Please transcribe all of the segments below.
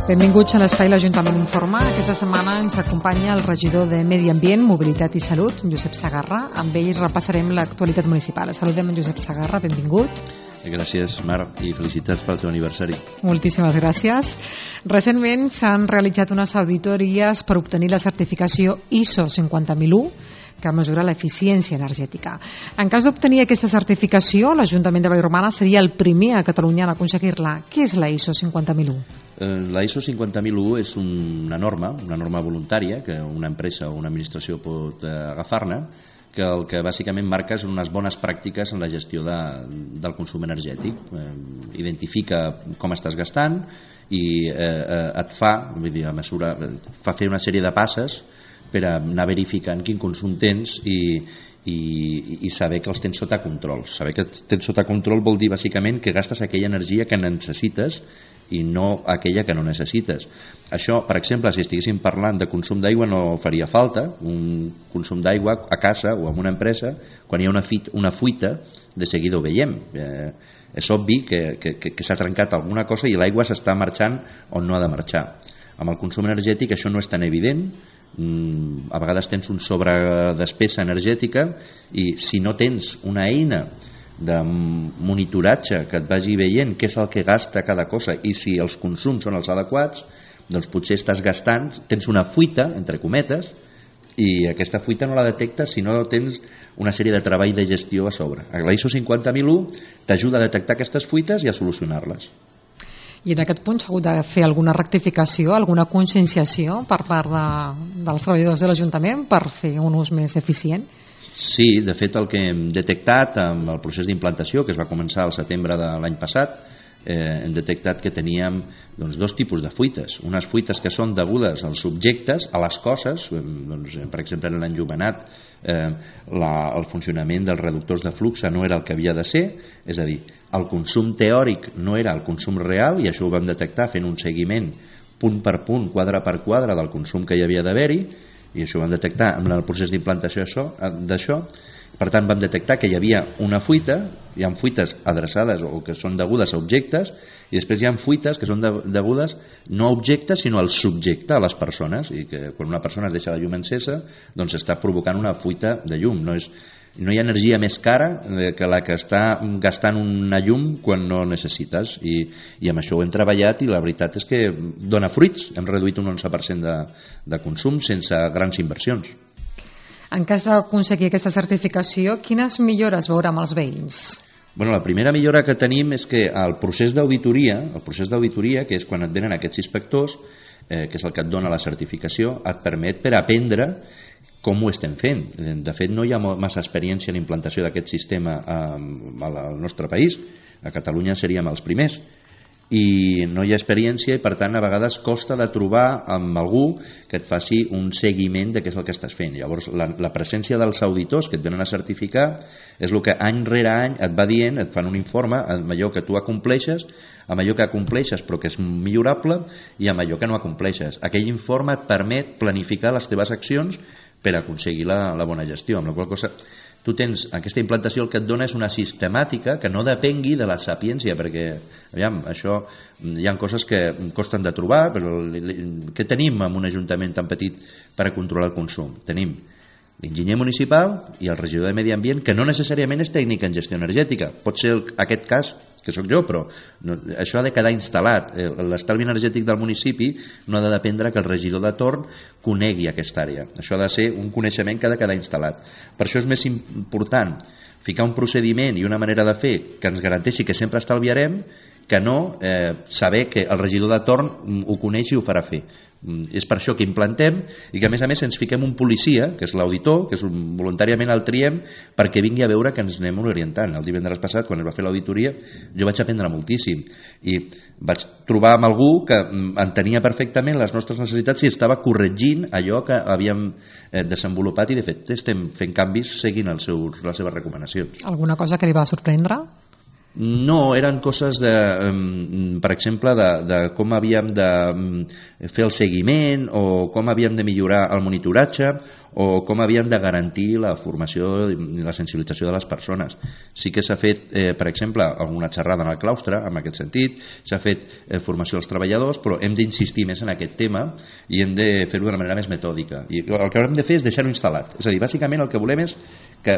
Benvinguts a l'Espai l'Ajuntament Informa. Aquesta setmana ens acompanya el regidor de Medi Ambient, Mobilitat i Salut, Josep Segarra. Amb ell repassarem l'actualitat municipal. Saludem en Josep Segarra, benvingut. Gràcies, Marc, i felicitats pel teu aniversari. Moltíssimes gràcies. Recentment s'han realitzat unes auditories per obtenir la certificació ISO 50001, que mesura l'eficiència energètica. En cas d'obtenir aquesta certificació, l'Ajuntament de Vallromana seria el primer a Catalunya en aconseguir-la. Què és la ISO 50001? La ISO 50001 és una norma voluntària que una empresa o una administració pot agafar-ne, que el que bàsicament marca és unes bones pràctiques en la gestió del consum energètic. Identifica com estàs gastant i et fa fer una sèrie de passes per anar verificant quin consum tens i saber que els tens sota control. Saber que tens sota control vol dir bàsicament que gastes aquella energia que necessites i no aquella que no necessites. Això, per exemple, si estiguéssim parlant de consum d'aigua no faria falta. Un consum d'aigua a casa o en una empresa, quan hi ha una fuita, de seguida ho veiem. És obvi que s'ha trencat alguna cosa i l'aigua s'està marxant on no ha de marxar. Amb el consum energètic això no és tan evident. A vegades tens un sobredespesa energètica i si no tens una eina de monitoratge que et vagi veient què és el que gasta cada cosa i si els consums són els adequats, doncs potser estàs gastant, tens una fuita, entre cometes, i aquesta fuita no la detectes si no tens una sèrie de treball de gestió a sobre. La ISO 50001 t'ajuda a detectar aquestes fuites i a solucionar-les. I en aquest punt s'ha hagut de fer alguna rectificació, alguna conscienciació per part dels treballadors de l'Ajuntament per fer un ús més eficient? Sí, de fet el que hem detectat amb el procés d'implantació que es va començar al setembre de l'any passat, hem detectat que teníem dos tipus de fuites. Unes fuites que són degudes als subjectes, a les coses, per exemple en l'enllumenat el funcionament dels reductors de flux no era el que havia de ser, és a dir, el consum teòric no era el consum real i això ho vam detectar fent un seguiment punt per punt, quadre per quadre del consum que hi havia d'haver-hi i això ho vam detectar en el procés d'implantació d'això. Per tant vam detectar que hi havia una fuita, hi ha fuites adreçades o que són degudes a objectes i després hi ha fuites que són degudes no a objectes sinó al subjecte, a les persones, i que quan una persona es deixa la llum encesa doncs està provocant una fuita de llum. No hi ha energia més cara que la que està gastant una llum quan no necessites i amb això ho hem treballat i la veritat és que dona fruits. Hem reduït un 11% de consum sense grans inversions. En cas d'aconseguir aquesta certificació, quines millores veurem als veïns? La primera millora que tenim és que el procés d'auditoria, que és quan et venen aquests inspectors, que és el que et dona la certificació, et permet per aprendre com ho estem fent. De fet, no hi ha massa experiència en l'implantació d'aquest sistema al nostre país. A Catalunya seríem els primers. I no hi ha experiència i per tant a vegades costa de trobar amb algú que et faci un seguiment de què és el que estàs fent. Llavors la presència dels auditors que et venen a certificar és el que any rere any et va dient, et fan un informe amb allò que tu acompleixes, amb allò que acompleixes però que és millorable i amb allò que no acompleixes. Aquell informe et permet planificar les teves accions per aconseguir la bona gestió, amb la qual cosa tu tens aquesta implantació, el que et dona és una sistemàtica que no depengui de la sapiència, perquè això hi ha coses que costen de trobar, però què tenim en un ajuntament tan petit per a controlar el consum? Tenim l'enginyer municipal i el regidor de Medi Ambient, que no necessàriament és tècnic en gestió energètica. Pot ser aquest cas, que sóc jo, però això ha de quedar instal·lat. L'estalvi energètic del municipi no ha de dependre que el regidor de torn conegui aquesta àrea. Això ha de ser un coneixement que ha de quedar instal·lat. Per això és més important ficar un procediment i una manera de fer que ens garanteixi que sempre estalviarem que no saber que el regidor de torn ho coneix i ho farà fer. És per això que implantem i que a més ens fiquem un policia, que és l'auditor, que voluntàriament el triem perquè vingui a veure que ens anem orientant. El divendres passat, quan es va fer l'auditoria, jo vaig aprendre moltíssim i vaig trobar amb algú que entenia perfectament les nostres necessitats i estava corregint allò que havíem desenvolupat i de fet estem fent canvis seguint les seves recomanacions. Alguna cosa que li va sorprendre? No, eren coses de, per exemple, de com havíem de fer el seguiment o com havíem de millorar el monitoratge o com havíem de garantir la formació i la sensibilització de les persones. Sí que s'ha fet, per exemple, alguna xerrada en el claustre, en aquest sentit, s'ha fet formació als treballadors, però hem d'insistir més en aquest tema i hem de fer-ho d'una manera més metòdica. I el que haurem de fer és deixar-ho instal·lat. És a dir, bàsicament el que volem és que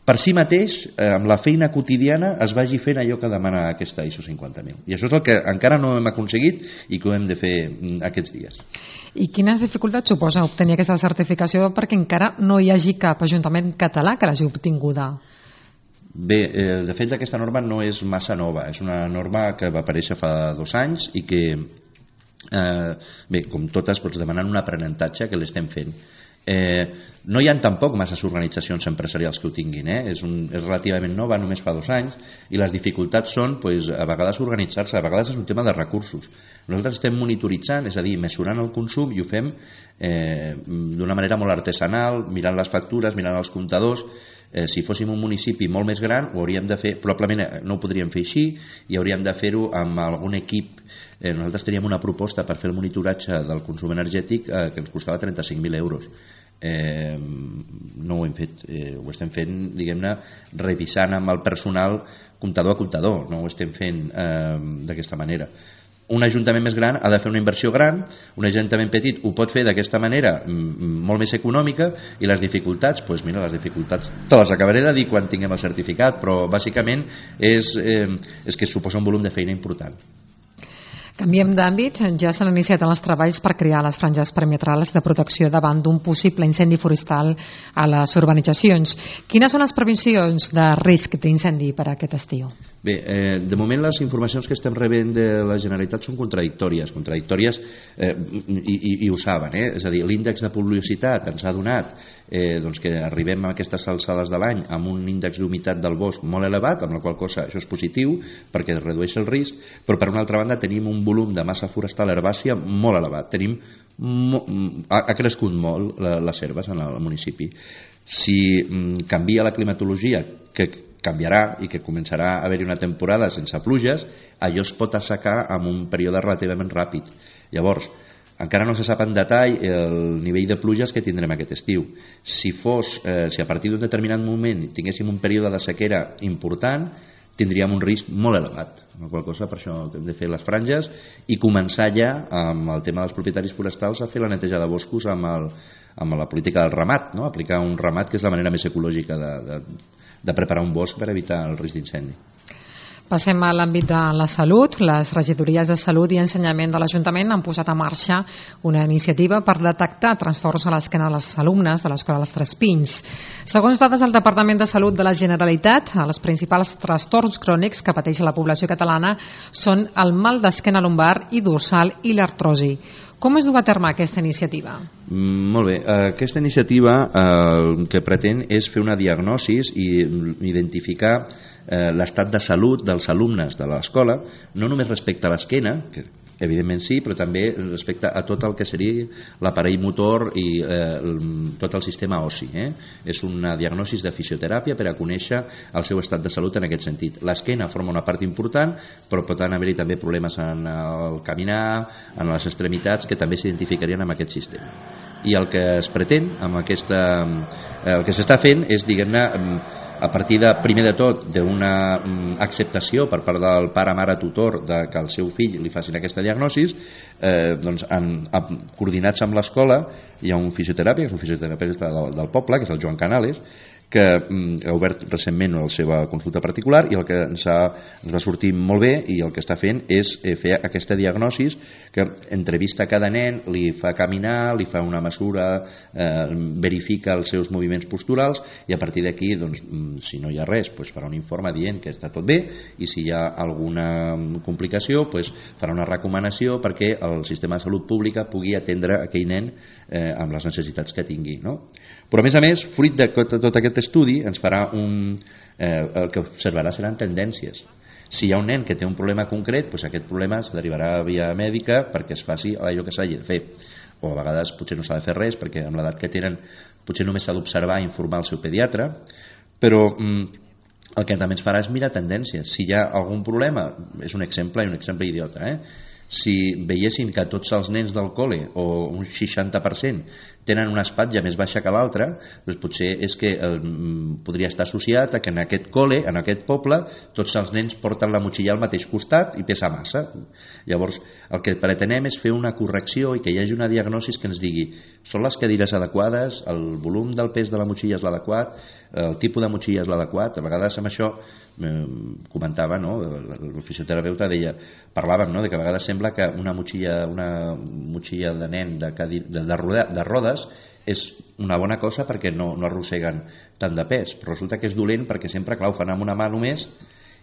per si mateix, amb la feina quotidiana, es vagi fent allò que demana aquesta ISO 50.000. I això és el que encara no hem aconseguit i que ho hem de fer aquests dies. I quines dificultats suposa obtenir aquesta certificació perquè encara no hi hagi cap ajuntament català que l'hagi obtinguda? Bé, de fet aquesta norma no és massa nova, és una norma que va aparèixer fa 2 anys i que, bé, com totes, doncs demanen un aprenentatge que l'estem fent. No hi ha tampoc masses organitzacions empresarials que ho tinguin, és relativament nova, només fa 2 anys, i les dificultats són a vegades organitzar-se, a vegades és un tema de recursos. Nosaltres estem monitoritzant, és a dir, mesurant el consum, i ho fem d'una manera molt artesanal, mirant les factures, mirant els comptadors. Si fóssim un municipi molt més gran ho hauríem de fer, probablement no ho podríem fer així i hauríem de fer-ho amb algun equip. Nosaltres teníem una proposta per fer el monitoratge del consum energètic que ens costava 35.000 euros. No ho hem fet, ho estem fent, diguem-ne, revisant amb el personal comptador a comptador, no ho estem fent d'aquesta manera. Un ajuntament més gran ha de fer una inversió gran, un ajuntament petit ho pot fer d'aquesta manera molt més econòmica, i les dificultats, doncs mira, les dificultats te les acabaré de dir quan tinguem el certificat, però bàsicament és que suposa un volum de feina important. Canviem d'àmbit, ja s'han iniciat els treballs per crear les franges perimetrals de protecció davant d'un possible incendi forestal a les urbanitzacions. Quines són les previsions de risc d'incendi per a aquest estiu? Bé, de moment les informacions que estem rebent de la Generalitat són contradictòries i ho saben, és a dir, l'índex de pluviositat ens ha donat doncs que arribem a aquestes alçades de l'any amb un índex d'humitat del bosc molt elevat, amb la qual cosa això és positiu perquè redueix el risc, però per una altra banda tenim un volum de massa forestal herbàcia molt elevat. Ha crescut molt les herbes en el municipi. Si canvia la climatologia, que canviarà i que començarà a haver-hi una temporada sense pluges, allò es pot assecar en un període relativament ràpid. Llavors, encara no se sap en detall el nivell de pluges que tindrem aquest estiu. Si a partir d'un determinat moment tinguéssim un període de sequera important, tindríem un risc molt elevat, amb la qual cosa per això hem de fer les franges i començar ja amb el tema dels propietaris forestals a fer la neteja de boscos amb la política del ramat, no? Aplicar un ramat que és la manera més ecològica de preparar un bosc per evitar el risc d'incendi. Passem a l'àmbit de la salut. Les regidories de Salut i Ensenyament de l'Ajuntament han posat en marxa una iniciativa per detectar trastorns a l'esquena de les alumnes de l'Escola dels Tres Pins. Segons dades del Departament de Salut de la Generalitat, els principals trastorns crònics que pateix la població catalana són el mal d'esquena lumbar i dorsal i l'artrosi. Com es du a terme aquesta iniciativa? Molt bé, aquesta iniciativa el que pretén és fer una diagnosi i identificar l'estat de salut dels alumnes de l'escola, no només respecte a l'esquena, que evidentment sí, però també respecte a tot el que seria l'aparell motor i tot el sistema ossi. És una diagnosi de fisioteràpia per a conèixer el seu estat de salut en aquest sentit. L'esquena forma una part important, però pot haver-hi també problemes en el caminar, en les extremitats, que també s'identificarien amb aquest sistema. I el que es pretén amb el que s'està fent és, diguem-ne, a partir de, primer de tot, d'una acceptació per part del pare, mare, tutor que el seu fill li facin aquesta diagnosi, doncs coordinats amb l'escola hi ha un fisioteràpia, que és un fisioterapeuta del poble, que és el Joan Canales, que ha obert recentment la seva consulta particular, i el que ens va sortir molt bé i el que està fent és fer aquesta diagnosi que entrevista cada nen, li fa caminar, li fa una mesura, verifica els seus moviments posturals, i a partir d'aquí, doncs, si no hi ha res, doncs farà un informe dient que està tot bé, i si hi ha alguna complicació, doncs farà una recomanació perquè el sistema de salut pública pugui atendre aquell nen amb les necessitats que tingui, no? Però a més, fruit de tot aquest estudi ens farà el que observarà seran tendències. Si hi ha un nen que té un problema concret, doncs aquest problema es derivarà via mèdica perquè es faci allò que s'hagi de fer, o a vegades potser no s'ha de fer res perquè amb l'edat que tenen potser només s'ha d'observar i informar el seu pediatre, però el que també ens farà és mirar tendències. Si hi ha algun problema, és un exemple idiota, si veiéssim que tots els nens del col·le, o un 60%, tenen una espatlla més baixa que l'altra, doncs potser és que podria estar associat a que en aquest col·le, en aquest poble, tots els nens porten la motxilla al mateix costat i pesa massa. Llavors, el que pretenem és fer una correcció i que hi hagi una diagnosi que ens digui són les cadires adequades, el volum del pes de la motxilla és l'adequat, el tipus de motxilla és l'adequat. A vegades amb això comentava, no? El fisioterapeuta parlaven, no? De que a vegades sembla que una motxilla de nen de rodes és una bona cosa perquè no arrosseguen tant de pes, però resulta que és dolent perquè sempre, clar, ho fan amb una mà només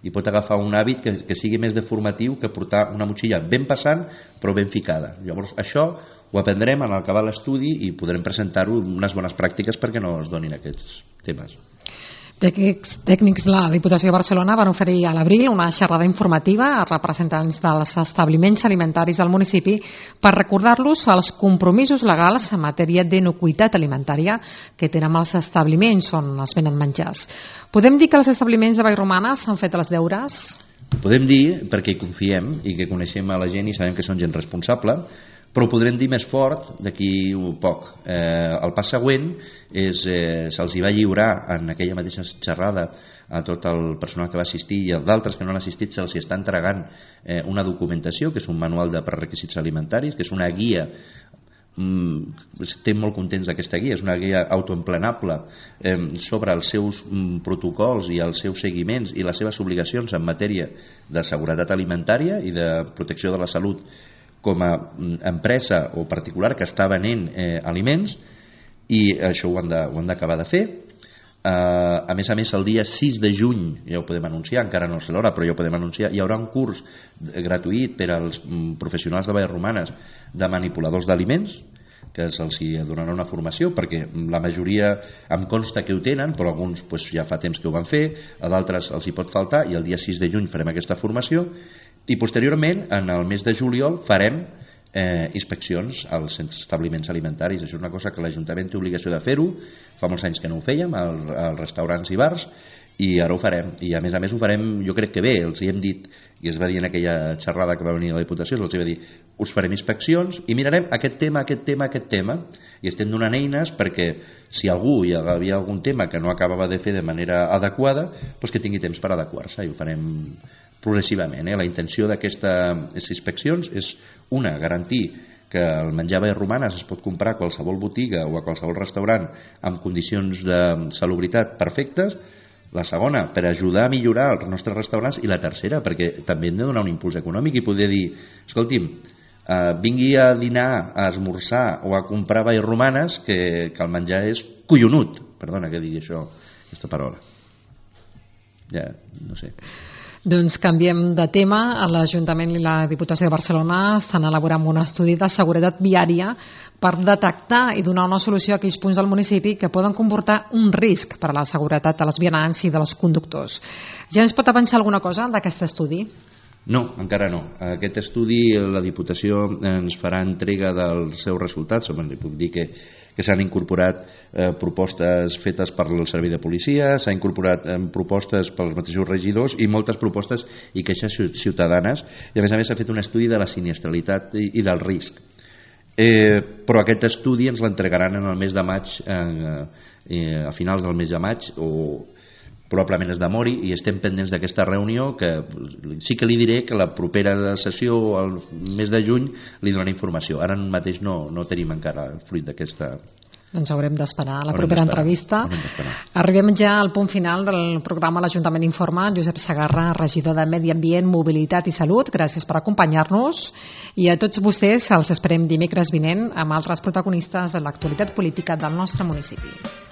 i pot agafar un hàbit que sigui més deformatiu que portar una motxilla ben passant però ben ficada. Llavors això ho aprendrem en acabar l'estudi i podrem presentar-ho unes bones pràctiques perquè no es donin aquests temes. Tècnics de la Diputació de Barcelona van oferir a l'abril una xerrada informativa a representants dels establiments alimentaris del municipi per recordar-los els compromisos legals en matèria d'inocuïtat alimentària que tenen els establiments on es venen menjars. Podem dir que els establiments de Vallromanes han fet els deures? Podem dir, perquè hi confiem i que coneixem a la gent i sabem que són gent responsable, però ho podrem dir més fort d'aquí un poc. El pas següent se'ls va lliurar en aquella mateixa xerrada a tot el personal que va assistir i a d'altres que no han assistit se'ls està entregant una documentació que és un manual de prerequisits alimentaris, que és una guia. Estem molt contents d'aquesta guia, és una guia autoemplenable sobre els seus protocols i els seus seguiments i les seves obligacions en matèria de seguretat alimentària i de protecció de la salut com a empresa o particular que està venent aliments, i això ho han d'acabar de fer. A més, el dia 6 de juny, ja ho podem anunciar, encara no sé l'hora, però ja ho podem anunciar, hi haurà un curs gratuït per als professionals de Vallromanes de manipuladors d'aliments, que se'ls donarà una formació, perquè la majoria em consta que ho tenen, però alguns ja fa temps que ho van fer, a d'altres els hi pot faltar, i el dia 6 de juny farem aquesta formació, i posteriorment, en el mes de juliol, farem inspeccions als establiments alimentaris. Això és una cosa que l'Ajuntament té obligació de fer-ho, fa molts anys que no ho fèiem als restaurants i bars, i ara ho farem, i a més ho farem, jo crec que bé, els hi hem dit, i es va dir en aquella xerrada que va venir a la Diputació, els va dir, us farem inspeccions i mirarem aquest tema, i estem donant eines perquè si algú hi havia algun tema que no acabava de fer de manera adequada, doncs que tingui temps per adequar-se, i ho farem progressivament. La intenció d'aquestes inspeccions és una, garantir que el menjar Vallromanes es pot comprar a qualsevol botiga o a qualsevol restaurant amb condicions de salubritat perfectes. La segona, per ajudar a millorar els nostres restaurants, i la tercera, perquè també hem de donar un impuls econòmic i poder dir, escolti'm, vingui a dinar, a esmorzar o a comprar Vallromanes, que el menjar és collonut. Perdona que digui això, aquesta paraula. Ja, no sé. Doncs canviem de tema. L'Ajuntament i la Diputació de Barcelona estan elaborant un estudi de seguretat viària per detectar i donar una solució a aquells punts del municipi que poden comportar un risc per a la seguretat de els vianants i dels conductors. Ja ens pot avançar alguna cosa d'aquest estudi? No, encara no. Aquest estudi la Diputació ens farà entrega dels seus resultats. Li puc dir que s'han incorporat propostes fetes per el servei de policia, s'han incorporat propostes pels mateixos regidors i moltes propostes i queixes ciutadanes, i a més s'ha fet un estudi de la sinistralitat i del risc. Però aquest estudi ens l'entregaran en el mes de maig, a finals del mes de maig, o probablement es demori, i estem pendents d'aquesta reunió, que sí que li diré que la propera sessió al mes de juny li donarà informació. Ara mateix no tenim encara el fruit d'aquesta. Doncs haurem d'esperar a la propera entrevista. Arribem ja al punt final del programa L'Ajuntament Informa. Josep Segarra, regidor de Medi Ambient, Mobilitat i Salut, gràcies per acompanyar-nos, i a tots vostès els esperem dimecres vinent amb altres protagonistes de l'actualitat política del nostre municipi.